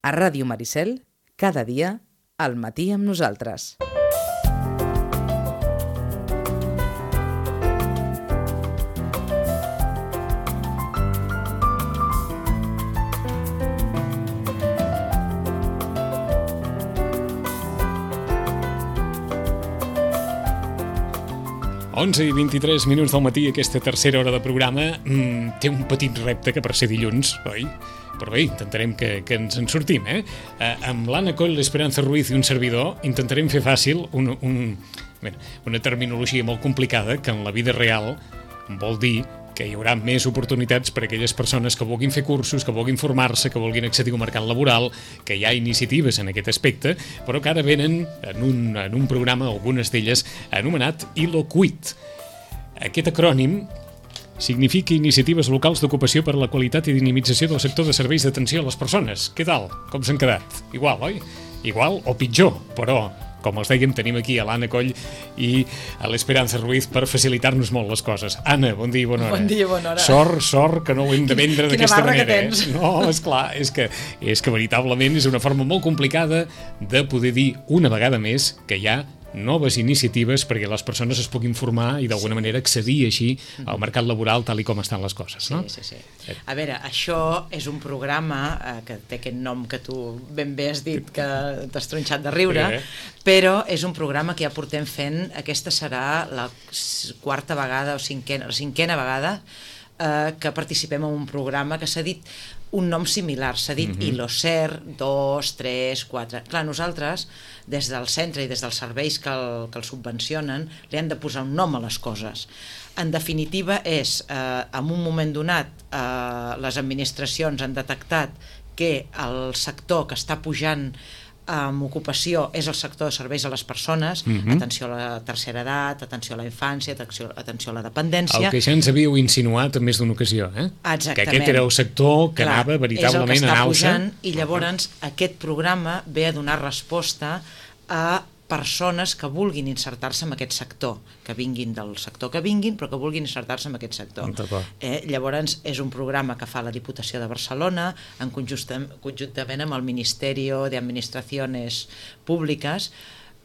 A Ràdio Maricel, cada dia, al matí amb nosaltres. Onze i 23 minuts del matí, aquesta tercera hora de programa té un petit repte que per ser dilluns, oi? Però bé, intentarem que ens en sortim, amb l'Anna Coll, l'Esperanza Ruiz i un servidor intentarem fer fàcil una terminologia molt complicada que en la vida real vol dir que hi haurà més oportunitats per a aquelles persones que vulguin fer cursos, que vulguin formar-se, que vulguin accedir al mercat laboral, que hi ha iniciatives en aquest aspecte, però que ara venen en un programa, algunes d'elles, anomenat ILOQUIT. Aquest acrònim significa Iniciatives Locals d'Ocupació per a la Qualitat i Dinamització del Sector de Serveis d'Atenció a les Persones. Què tal? Com s'han quedat? Igual, oi? Igual o pitjor, però com els dèiem, tenim aquí a l'Anna Coll i a l'Esperanza Ruiz per facilitar-nos molt les coses. Anna, bon dia i bona hora. Bon dia i bona hora. Sort que no ho hem de vendre d'aquesta manera. Quina barra que tens. No, esclar, és que veritablement és una forma molt complicada de poder dir una vegada més que hi ha noves iniciatives perquè les persones es puguin formar i d'alguna manera accedir així al mercat laboral tal i com estan les coses, no? Sí. A veure, això és un programa que té aquest nom que tu ben bé has dit que t'has tronxat de riure, però és un programa que ja portem fent, aquesta serà la quarta vegada o cinquena vegada que participem en un programa que s'ha dit un nom similar, s'ha dit ILOCER 2, 3, 4. Clar, nosaltres, des del centre i des dels serveis que el subvencionen, li han de posar un nom a les coses. En definitiva és, en un moment donat, les administracions han detectat que el sector que està pujant amb ocupació és el sector de serveis a les persones, atenció a la tercera edat, atenció a la infància, atenció a la dependència. El que ja ens havíeu insinuat en més d'una ocasió, Exactament. Que aquest era el sector que anava veritablement en alça. I llavors aquest programa ve a donar resposta a persones que vulguin insertar-se en aquest sector, que vinguin del sector que vinguin, però que vulguin insertar-se en aquest sector. Llavors és un programa que fa la Diputació de Barcelona conjuntament amb el Ministerio de Administraciones Públiques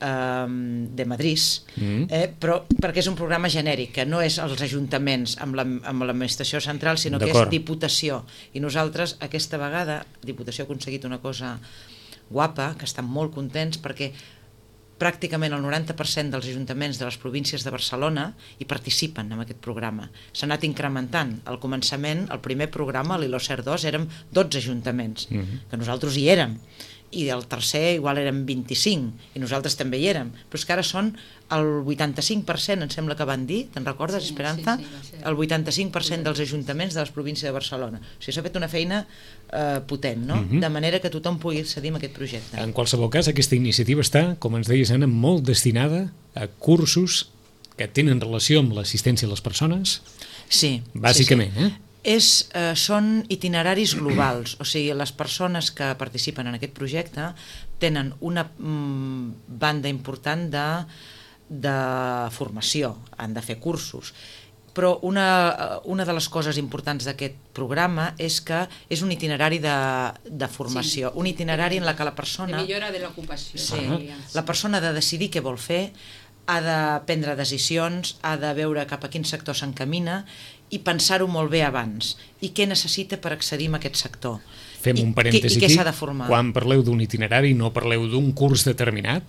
de Madrid, però perquè és un programa genèric, que no és els ajuntaments amb l'administració central, sinó que és Diputació. I nosaltres aquesta vegada, Diputació ha aconseguit una cosa guapa, que estan molt contents perquè pràcticament el 90% dels ajuntaments de les províncies de Barcelona hi participen en aquest programa. S'ha anat incrementant. Al començament, el primer programa, l'ILOCER 2, érem 12 ajuntaments, que nosaltres hi érem. I el tercer igual eren 25, i nosaltres també hi érem. Però és que ara són el 85%, em sembla que van dir, te'n recordes, Esperanza? Sí, el 85% dels ajuntaments de les províncies de Barcelona. O sigui, s'ha fet una feina potent, no? De manera que tothom pugui accedir a aquest projecte. En qualsevol cas, aquesta iniciativa està, com ens deies, Anna, molt destinada a cursos que tenen relació amb l'assistència a les persones? Sí. Bàsicament, Són itineraris globals, o sigui, les persones que participen en aquest projecte tenen una banda important de formació, han de fer cursos, però una de les coses importants d'aquest programa és que és un itinerari de formació, un itinerari en la que la persona... De millora de l'ocupació. Sí, la persona ha de decidir què vol fer, ha de prendre decisions, ha de veure cap a quin sector s'encamina i pensar-ho molt bé abans. I què necessita per accedir a aquest sector. Fem un parèntesi aquí. Quan parleu d'un itinerari no parleu d'un curs determinat,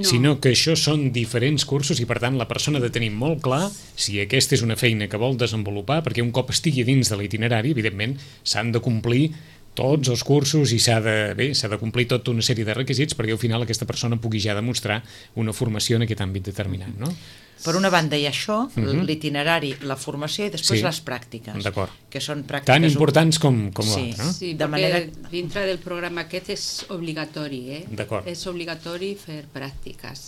sinó que això són diferents cursos i per tant la persona ha de tenir molt clar si aquesta és una feina que vol desenvolupar, perquè un cop estigui dins de l'itinerari, evidentment s'han de complir tots els cursos i s'ha de complir tota una sèrie de requisits perquè al final aquesta persona pugui ja demostrar una formació en aquest àmbit determinat, no? Per una banda hi ha això, l'itinerari, la formació i després les pràctiques. D'acord. Que són pràctiques... Tan importants com l'altre, no? Sí, perquè dintre del programa aquest és obligatori, D'acord. És obligatori fer pràctiques,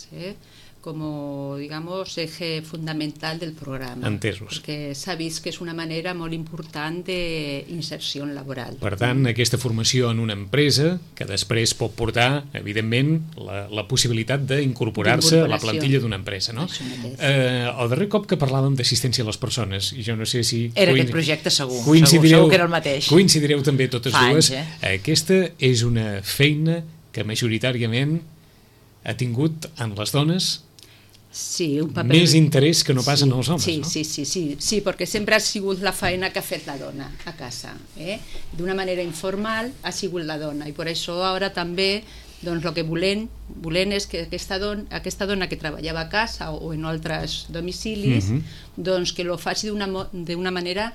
como, digamos, eje fundamental del programa. Entesos. Perquè s'ha vist que és una manera molt important d'inserció laboral. Per tant, aquesta formació en una empresa que després pot portar, evidentment, la possibilitat d'incorporar-se a la plantilla d'una empresa, no? El darrer cop que parlàvem d'assistència a les persones, i jo no sé si... Era aquest projecte segur que era el mateix. Coincidireu també totes dues. Anys, Aquesta és una feina que majoritàriament ha tingut en les dones més interès que no pas en els homes, no? Sí, perquè sempre ha sigut la feina que ha fet la dona a casa. D'una manera informal ha sigut la dona, i per això ara també doncs el que volem és que aquesta dona que treballava a casa o en altres domicilis, doncs que lo faci d'una manera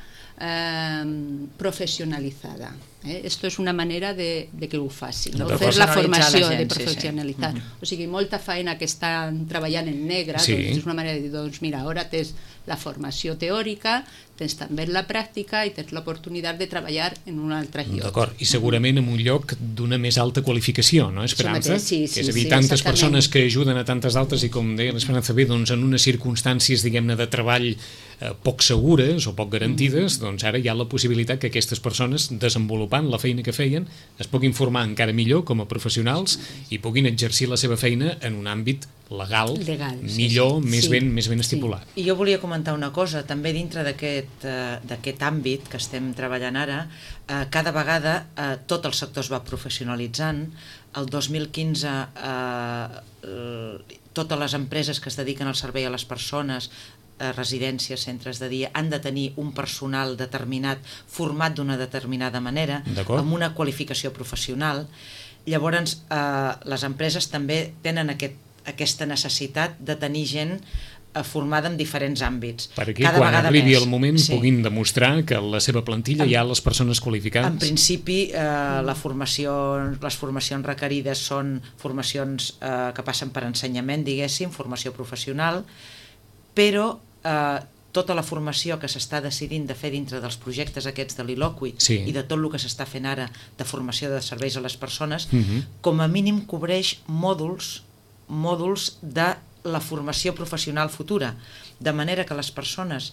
professionalitzada. Esto és una manera de que ho faci, fer la formació, de professionalitzar. O sigui, molta feina que estan treballant en negre, és una manera de dir, doncs mira, ara tens la formació teòrica, tens també la pràctica i tens l'oportunitat de treballar en un altre lloc. D'acord, i segurament en un lloc d'una més alta qualificació, no, Esperança? Que és a dir, tantes persones que ajuden a tantes altres i, com deia l'Esperança bé, doncs en unes circumstàncies, diguem-ne, de treball poc segures o poc garantides, doncs ara hi ha la possibilitat que aquestes persones, desenvolupant la feina que feien, es puguin formar encara millor com a professionals i puguin exercir la seva feina en un àmbit legal millor, més ben estipulat. I jo volia comentar una cosa, també dintre d'aquest àmbit que estem treballant ara, cada vegada tot el sector es va professionalitzant. El 2015 totes les empreses que es dediquen al servei a les persones, residències, centres de dia, han de tenir un personal determinat, format d'una determinada manera, amb una qualificació professional. Llavors, les empreses també tenen aquesta necessitat de tenir gent formada en diferents àmbits. Perquè quan arribi el moment puguin demostrar que la seva plantilla hi ha les persones qualificades. En principi, les formacions requerides són formacions que passen per ensenyament, diguéssim, formació professional, però tota la formació que s'està decidint de fer dintre dels projectes aquests de l'Il·loqui i de tot el que s'està fent ara de formació de serveis a les persones, com a mínim cobreix mòduls de la formació professional futura, de manera que les persones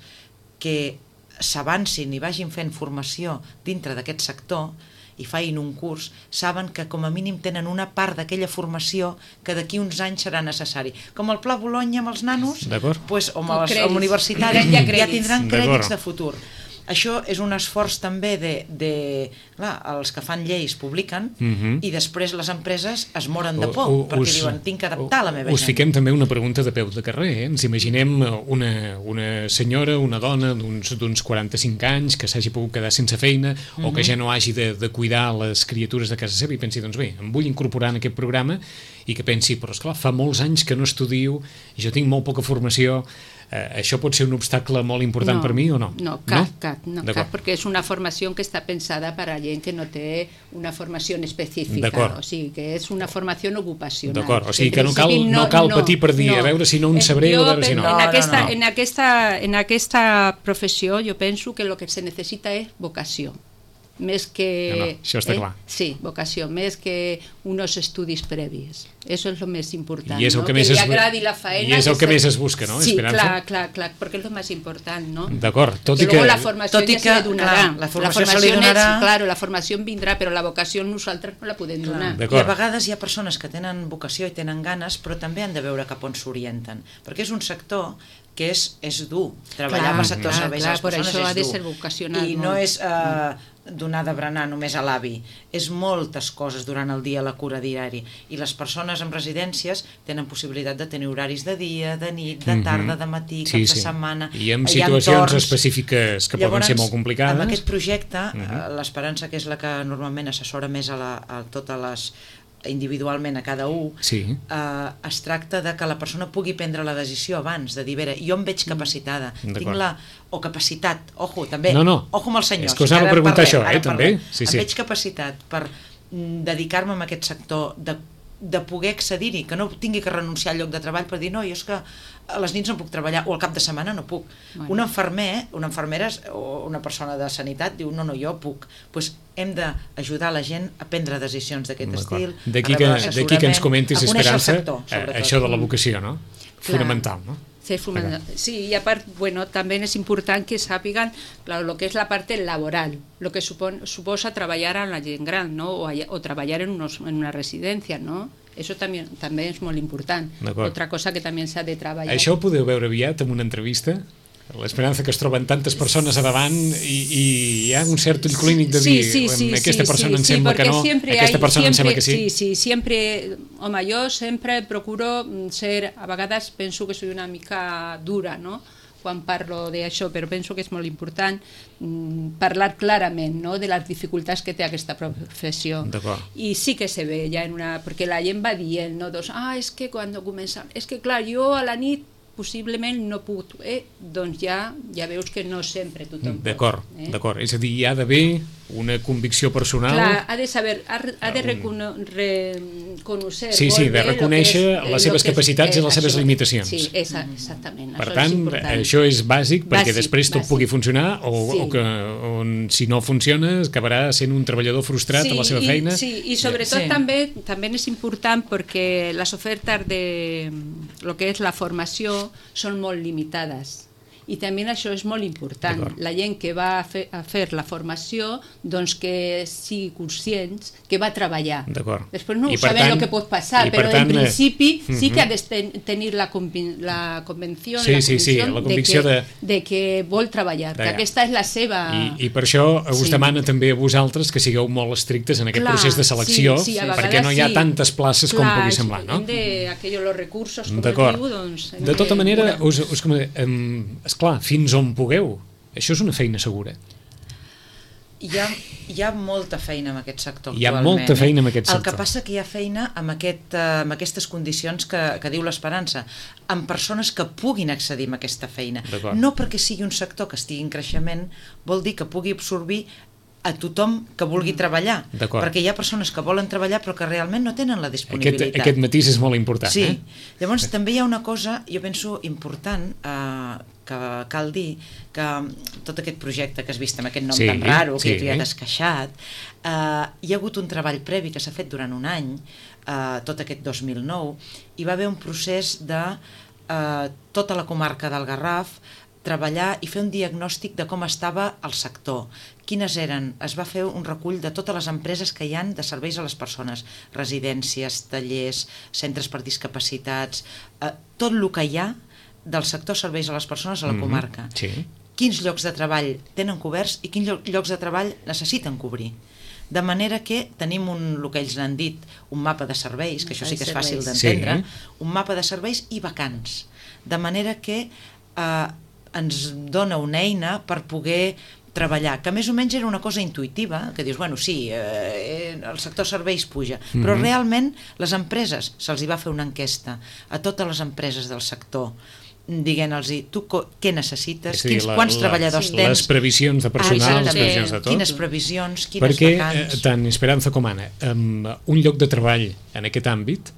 que s'avancin i vagin fent formació dintre d'aquest sector i facin un curs, saben que com a mínim tenen una part d'aquella formació que d'aquí uns anys serà necessari. Com el Pla Bologna amb els nanos, o amb els universitaris, ja tindran crèdits de futur. Això és un esforç també els que fan lleis publiquen i després les empreses es moren de por perquè diuen, tinc que adaptar la meva gent. Us fiquem també una pregunta de peu de carrer. Ens imaginem una senyora, una dona d'uns 45 anys que s'hagi pogut quedar sense feina o que ja no hagi de cuidar les criatures de casa seva i pensi, doncs bé, em vull incorporar en aquest programa, i que pensi, però esclar, fa molts anys que no estudio, jo tinc molt poca formació, això pot ser un obstacle molt important per mi o no? No, cap, perquè és una formació que està pensada per a gent que no té una formació específica, o sigui, que és una formació ocupacional. D'acord, o sigui que no cal patir per dir, a veure si no en sabré o a veure si no. En aquesta professió jo penso que el que se necessita és vocació. Més que... això està clar. Sí, vocació, més que uns estudis previs. Això és el més important, I és el no? que més li agradi la feina. I és el que més es busca, no? Sí, Esperança? clar, perquè és el més important, no? D'acord, tot i que... la formació ja se li donarà. La formació se li donarà. Claro, la formació en vindrà, però la vocació nosaltres no la podem donar. I a vegades hi ha persones que tenen vocació i tenen ganes, però també han de veure cap on s'orienten, perquè és un sector que és dur. Treballar al sector de serveis a les persones és dur. Per això ha de ser vocacional. I no és donar de berenar només a l'avi. És moltes coses durant el dia, la cura diari. I les persones en residències tenen possibilitat de tenir horaris de dia, de nit, de tarda, de matí, cap de setmana. I amb situacions específiques que poden ser molt complicades. Amb aquest projecte, l'Esperança, que és la que normalment assessora més a totes les individualment a cada un, es tracta de que la persona pugui prendre la decisió abans, de dir, jo em veig capacitada, tinc o capacitat, ojo, també, ojo amb els senyors. És que us anava a preguntar això, també. Em veig capacitat per dedicar-me a aquest sector, de poder accedir-hi, que no tingui que renunciar al lloc de treball per dir, no, jo és que a les nits no puc treballar, o al cap de setmana no puc. Un infermer, una infermera o una persona de sanitat diu, no, jo puc. Doncs hem d'ajudar la gent a prendre decisions d'aquest estil, D'aquí que ens comentis, Esperança, això de la vocació, no? fonamental, no? Sí, y aparte, bueno, también es importante que sàpiguen, claro, lo que es la parte laboral, lo que suposa treballar amb la gent gran, ¿no? O treballar en una residencia, ¿no? Eso també és molt important. Otra cosa que també s'ha de treballar. Això ho podeu veure aviat en una entrevista? L'esperança que es troben tantes persones a davant i hi ha un cert ull clínic de dir aquesta persona em sembla que no, aquesta persona em sembla que sí. Sí, sempre, home, jo sempre procuro ser, a vegades penso que soy una mica dura, no?, quan parlo d'això, però penso que és molt important parlar clarament, no?, de les dificultats que té aquesta professió. I sí que se ve ja en una... perquè la gent va dient, no?, és que quan comença... És que clar, jo a la nit possiblement no puc, doncs ja veus que no sempre tothom pot. D'acord, és a dir, hi ha d'haver una convicció personal. Clar, ha de saber, ha de reconèixer de reconèixer les seves capacitats i les seves limitacions. Sí, exactament. Per tant, això és bàsic perquè després tot pugui funcionar o que si no funciona acabarà sent un treballador frustrat a la seva feina. Sí, i sobretot també és important perquè les ofertes de lo que és la formació són molt limitades i també això és molt important. La gent que va a fer la formació, doncs que sigui conscients que va treballar. Després no sabem el que pot passar, però en principi sí que ha de tenir la convenció, la convicció de que vol treballar, que aquesta és la seva... I per això us demana també a vosaltres que sigueu molt estrictes en aquest procés de selecció, perquè no hi ha tantes places com pugui semblar, no? Los recursos, com es diu, doncs... De tota manera, esclar, fins on pugueu. Això és una feina segura. Hi ha molta feina en aquest sector actualment. Hi ha molta feina en aquest sector. El que passa que hi ha feina amb aquestes condicions que diu l'Esperança, amb persones que puguin accedir a aquesta feina. No perquè sigui un sector que estigui en creixement, vol dir que pugui absorbir a tothom que vulgui treballar, perquè hi ha persones que volen treballar però que realment no tenen la disponibilitat. Aquest matís és molt important. Sí, llavors també hi ha una cosa, jo penso, important, que cal dir, que tot aquest projecte que has vist amb aquest nom tan raro, que tu ja t'has queixat, hi ha hagut un treball previ que s'ha fet durant un any, tot aquest 2009, i va haver un procés de tota la comarca del Garraf treballar i fer un diagnòstic de com estava el sector, quines eren, es va fer un recull de totes les empreses que hi han de serveis a les persones, residències, tallers, centres per discapacitats, tot el que hi ha del sector serveis a les persones a la comarca. Quins llocs de treball tenen coberts i quins llocs de treball necessiten cobrir. De manera que tenim el que ells n'han dit, un mapa de serveis, que això sí que és fàcil d'entendre, un mapa de serveis i vacants. De manera que ens dona una eina per poder treballar, que més o menys era una cosa intuïtiva, que dius, bueno, sí, el sector serveis puja, però realment les empreses, se'ls hi va fer una enquesta a totes les empreses del sector, diguent-los, tu què necessites, quants treballadors tens, les previsions de personal, les previsions de tot, quines previsions, quines vacants. Perquè tant Esperança com Anna, un lloc de treball en aquest àmbit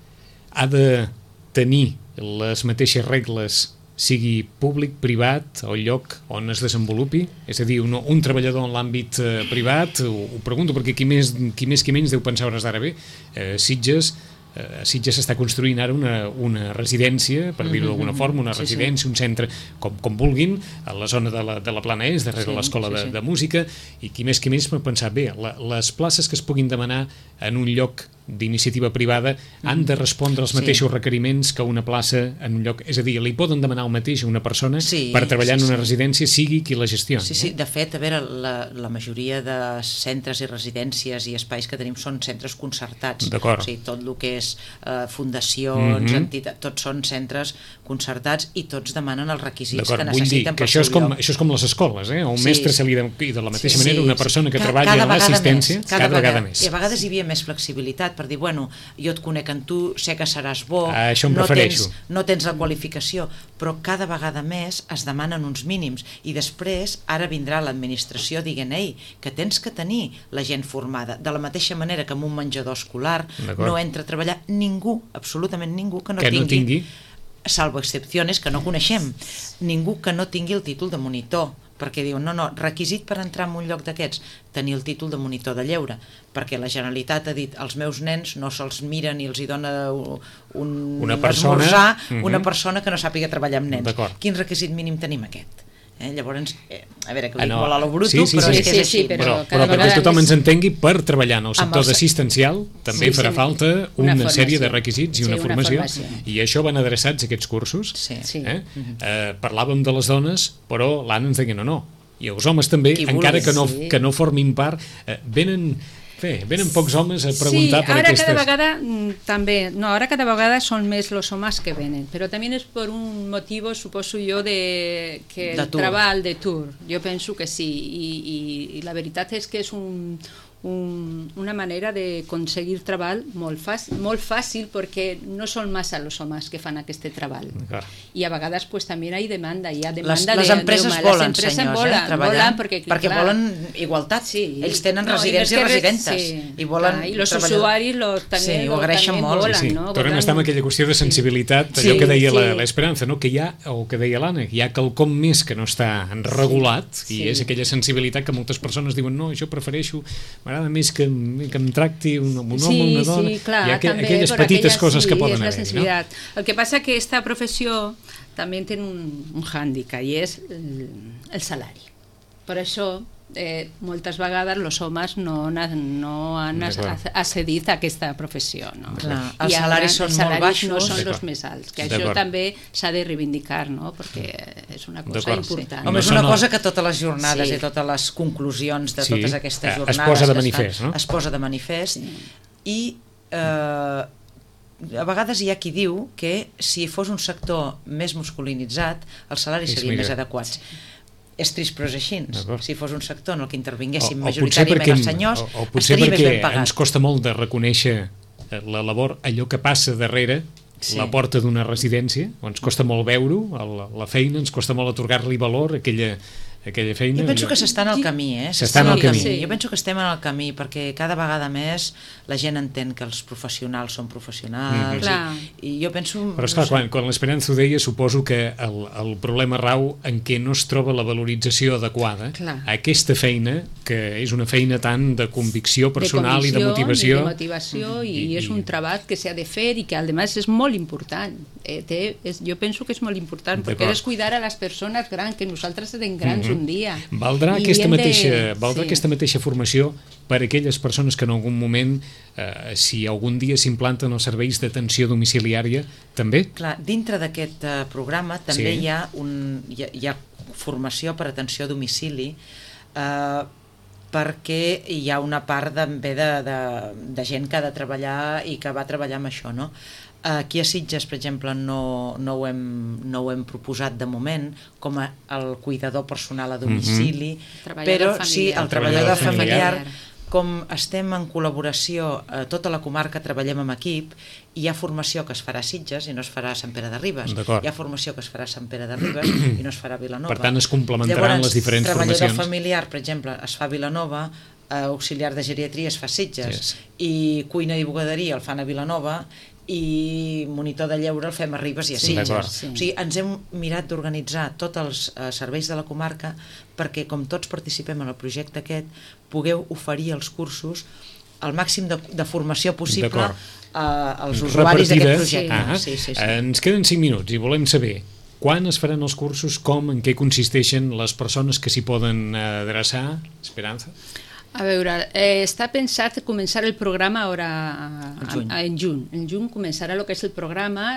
ha de tenir les mateixes regles, sigui públic, privat, o lloc on es desenvolupi, és a dir, un treballador en l'àmbit privat, ho pregunto perquè qui més qui menys deu pensar hores d'ara bé, Sitges s'està construint ara una residència, per dir-ho d'alguna forma, una residència, un centre, com vulguin, a la zona de la Plana Est, darrere l'escola de música, i qui més pot pensar, bé, les places que es puguin demanar en un lloc d'iniciativa privada han de respondre als mateixos requeriments que una plaça en un lloc, és a dir, li poden demanar el mateix a una persona per treballar en una residència, sigui qui la gestioni. Sí, de fet, a veure, la majoria de centres i residències i espais que tenim són centres concertats, o sigui, tot el que és fundacions, entitats, tots són centres concertats i tots demanen els requisits que necessiten per seu lloc. Això és com les escoles, a un mestre se li i de la mateixa manera una persona que treballa en l'assistència cada vegada més. I a vegades hi havia més flexibilitat per dir, bueno, jo et conec en tu, sé que seràs bo, no tens la qualificació, però cada vegada més es demanen uns mínims i després ara vindrà l'administració dient, que tens que tenir la gent formada, de la mateixa manera que en un menjador escolar no entra a treballar ningú, absolutament ningú que no tingui, salvo excepciones que no coneixem, ningú que no tingui el títol de monitor perquè diuen, no, requisit per entrar en un lloc d'aquests, tenir el títol de monitor de lleure, perquè la Generalitat ha dit, els meus nens no se'ls mira ni els hi dona un esmorzar una persona que no sàpiga treballar amb nens. Quin requisit mínim tenim aquest? Llavors, a veure, que ho dic molt a lo bruto, però és que és així. Però perquè tothom ens entengui, per treballar en el sector d'assistencial també farà falta una sèrie de requisits i una formació, i això van adreçats a aquests cursos. Parlàvem de les dones, però l'Anna ens deia no, i els homes també, encara que no formin part, venen pocs homes a preguntar per aquestes... Sí, ara cada vegada son més los homes que venen, però també és per un motiu, suposo jo, que el treball de tour. Jo penso que sí, i la veritat és que és una manera de aconseguir treball molt fàcil perquè no són massa els homes que fan aquest treball. I a vegades també hi ha demanda. Les empreses volen, senyors, treballar perquè volen igualtat. Ells tenen residents i residentes i volen treballar. I els usuaris també ho agraeixen molt. Tornem a estar amb aquella qüestió de sensibilitat, allò que deia l'Esperanza, que hi ha, o que deia l'Anna, hi ha quelcom més que no està regulat, i és aquella sensibilitat que moltes persones diuen no, jo prefereixo, m'agrada més que em tracti un home o una dona. Sí, clar, hi ha aquelles petites coses que poden haver. El que passa que aquesta professió també té un hàndicap, i és el salari. Per això moltes vegades els homes no han accedit a aquesta professió. Els salaris són molt baixos. No són els més alts, que això també s'ha de reivindicar, perquè és una cosa important. Home, és una cosa que totes les jornades i totes les conclusions de totes aquestes jornades es posa de manifest, i a vegades hi ha qui diu que si fos un sector més masculinitzat els salaris serien més adequats. És trist, però és així. Si fos un sector en el que intervinguéssim majoritàriament els senyors, estaria més ben pagat. Potser perquè ens costa molt de reconèixer la labor, allò que passa darrere la porta d'una residència, ens costa molt veure-ho, la feina, ens costa molt atorgar-li valor a aquella feina. Jo penso que s'està en el camí, s'està en el camí. Jo penso que estem en el camí, perquè cada vegada més la gent entén que els professionals són professionals, i jo penso... Però esclar, quan l'Esperanza ho deia, suposo que el problema rau en què no es troba la valorització adequada a aquesta feina, que és una feina tant de convicció personal i de motivació. I és un treball que s'ha de fer i que, a més, és molt important. Jo penso que és molt important, perquè és cuidar a les persones grans, que nosaltres serem grans un dia. Valdrà aquesta mateixa formació per a aquelles persones que en algun moment, si algun dia s'implanten els serveis d'atenció domiciliària, també? Clar, dintre d'aquest programa també hi ha formació per atenció a domicili, perquè hi ha una part de gent que ha de treballar i que va treballar amb això, no? Aquí a Sitges, per exemple, no ho hem proposat de moment com el cuidador personal a domicili, però sí el treballador familiar. Com estem en col·laboració, tota la comarca treballem en equip, hi ha formació que es farà a Sitges i no es farà a Sant Pere de Ribes, hi ha formació que es farà a Sant Pere de Ribes i no es farà a Vilanova. Per tant, es complementaran les diferents formacions. Treballador familiar, per exemple, es fa a Vilanova, auxiliar de geriatria es fa a Sitges, i cuina i bugaderia el fan a Vilanova, i monitor de lleure el fem a Ribes i a Sitges. O sigui, ens hem mirat d'organitzar tots els serveis de la comarca perquè, com tots participem en el projecte aquest, pugueu oferir els cursos al màxim de formació possible als usuaris d'aquest projecte. Ens queden 5 minuts i volem saber quan es faran els cursos, com, en què consisteixen, les persones que s'hi poden adreçar. Esperanza? A veure, està pensat començar el programa en juny. En juny començarà el que és el programa,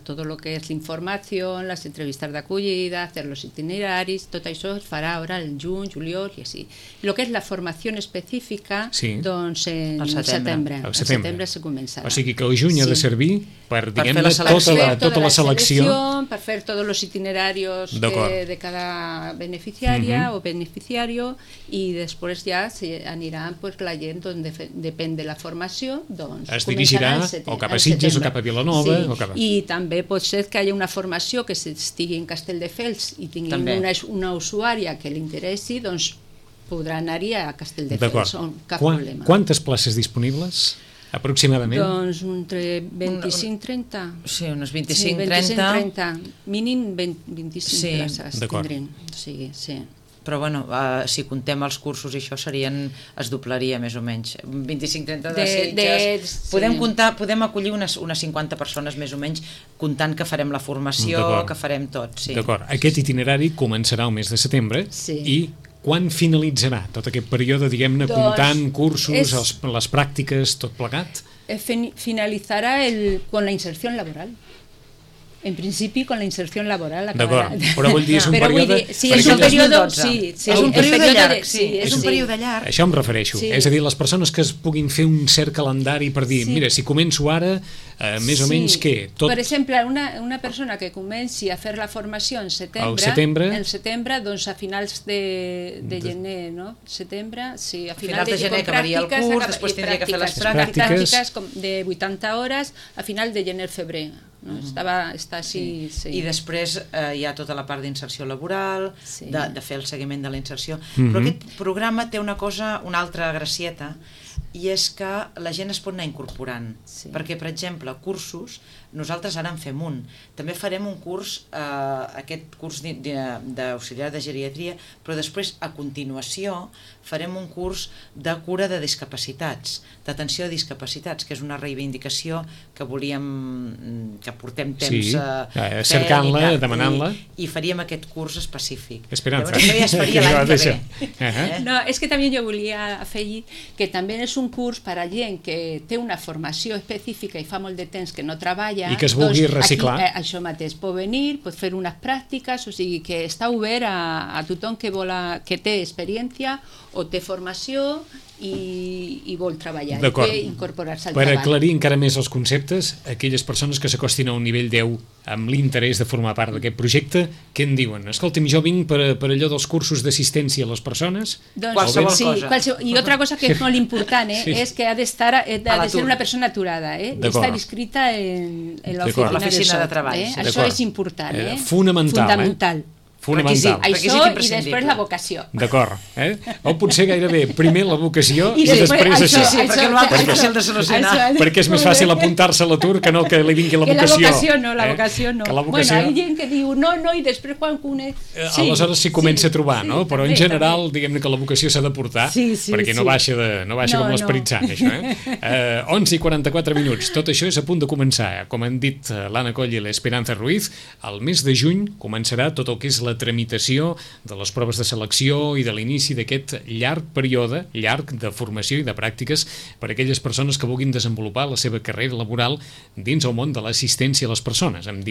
tot el que és la informació, les entrevistes d'acollida, fer els itineraris, tot això es farà ara en juny, juliol i així. El que és la formació específica, doncs en setembre. Al setembre se començarà. O sigui que el juny ha de servir per, diguem-ne, tota la selecció. Per fer tots els itineraris de cada beneficiària o beneficiari, i després ja anirà la gent, depèn de la formació, es dirigirà o cap a Sitges o cap a Vilanova. I també pot ser que hi hagi una formació que estigui en Castelldefels i tingui una usuària que li interessi, doncs podrà anar-hi a Castelldefels, cap problema. Quantes places disponibles? Aproximadament? Doncs entre 25 i 30. Sí, unes 25 i 30. Mínim 25 places tindrem. Però bueno, si contem els cursos i això es doblaria més o menys. 25-30 de Sitges. Podem acollir unes 50 persones més o menys, comptant que farem la formació, que farem tot. Sí. D'acord. Aquest itinerari començarà el mes de setembre i quan finalitzarà tot aquest període, diguem-ne, comptant cursos, les pràctiques, tot plegat? Finalitzarà con la inserció laboral. En principi, con la inserció laboral. D'acord, però vull dir, és un període... Sí, és un període... És un període llarg. És un període llarg. Això em refereixo. És a dir, les persones que es puguin fer un cert calendari per dir, mira, si començo ara, més o menys què? Per exemple, una persona que comenci a fer la formació en setembre, doncs a finals de gener, no? Setembre, sí, a finals de gener acabaria el curs, després tindria que fer les pràctiques de 80 hores a final de gener-febrer. No? Està així, sí. I després hi ha tota la part d'inserció laboral, de fer el seguiment de la inserció, però aquest programa té una altra gracieta, i és que la gent es pot anar incorporant, perquè per exemple cursos, nosaltres ara en fem un, també farem un curs, aquest curs d'auxiliar de geriatria, però després a continuació farem un curs de cura de discapacitats, d'atenció a discapacitats, que és una reivindicació que volíem, que portem temps cercant-la, demanant-la, i faríem aquest curs específic. Esperança. Llavors això ja es faria l'any que ve. No, és que també jo volia afegir que també és un curs per a gent que té una formació específica i fa molt de temps que no treballa i que es vulgui reciclar. Això mateix, pot venir, pot fer unes pràctiques, o sigui que està obert a tothom que té experiència o té formació i vol treballar, i té incorporar-se al treball. Per aclarir encara més els conceptes, aquelles persones que s'acostin a un nivell 10 amb l'interès de formar part d'aquest projecte, què en diuen? Escolta'm, jo vinc per allò dels cursos d'assistència a les persones? Qualsevol cosa. I altra cosa que és molt important, és que ha de ser una persona aturada, d'estar inscrita en l'oficina de treball. Això és important. Fundamental. Això i després la vocació. D'acord. O potser gairebé primer la vocació i després això. Sí, perquè l'altre és fàcil de solucionar. Perquè és més fàcil apuntar-se a l'atur que no que li vingui la vocació. La vocació no. Bueno, hi ha gent que diu no, i després quan coneix... Aleshores s'hi comença a trobar, no? Però en general, diguem-ne que la vocació s'ha de portar perquè no baixa com l'Esperit Sant, això. 11:44. Tot això és a punt de començar. Com han dit l'Anna Coll i l'Esperanza Ruiz, al mes de juny començarà tot el que és la tramitació de les proves de selecció i de l'inici d'aquest llarg període, llarg de formació i de pràctiques per a aquelles persones que vulguin desenvolupar la seva carrera laboral dins el món de l'assistència a les persones, amb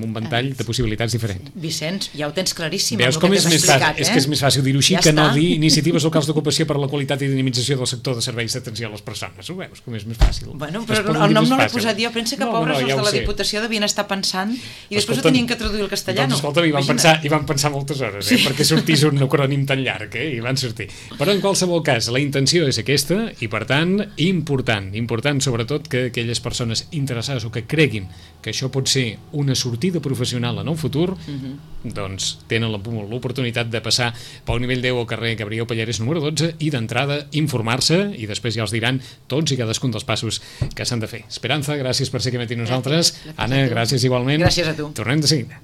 un ventall de possibilitats diferents. Vicenç, ja ho tens claríssim. Veus com és més fàcil? És que és més fàcil dir-ho així que no dir iniciatives locals d'ocupació per a la qualitat i dinamització del sector de serveis d'atenció a les persones. Ho veus com és més fàcil? Bueno, però el nom no l'he posat jo. Pensa que pobres els de la Diputació devien estar pensant i després ho tenien que traduir al castellà. Doncs escolta, hi van pensar moltes hores perquè sortís un acrònim tan llarg i van sortir. Però en qualsevol cas, la intenció és aquesta i per tant, important sobretot que aquelles persones interessades o que creguin que això pot ser una sortida professional en el futur, doncs tenen l'oportunitat de passar pel nivell 10 al carrer Gabriel Pallares número 12 i d'entrada informar-se i després ja els diran tots i cadascun dels passos que s'han de fer. Esperanza, gràcies per ser aquí amb nosaltres. Anna, gràcies igualment. Gràcies a tu. Tornem de seguida.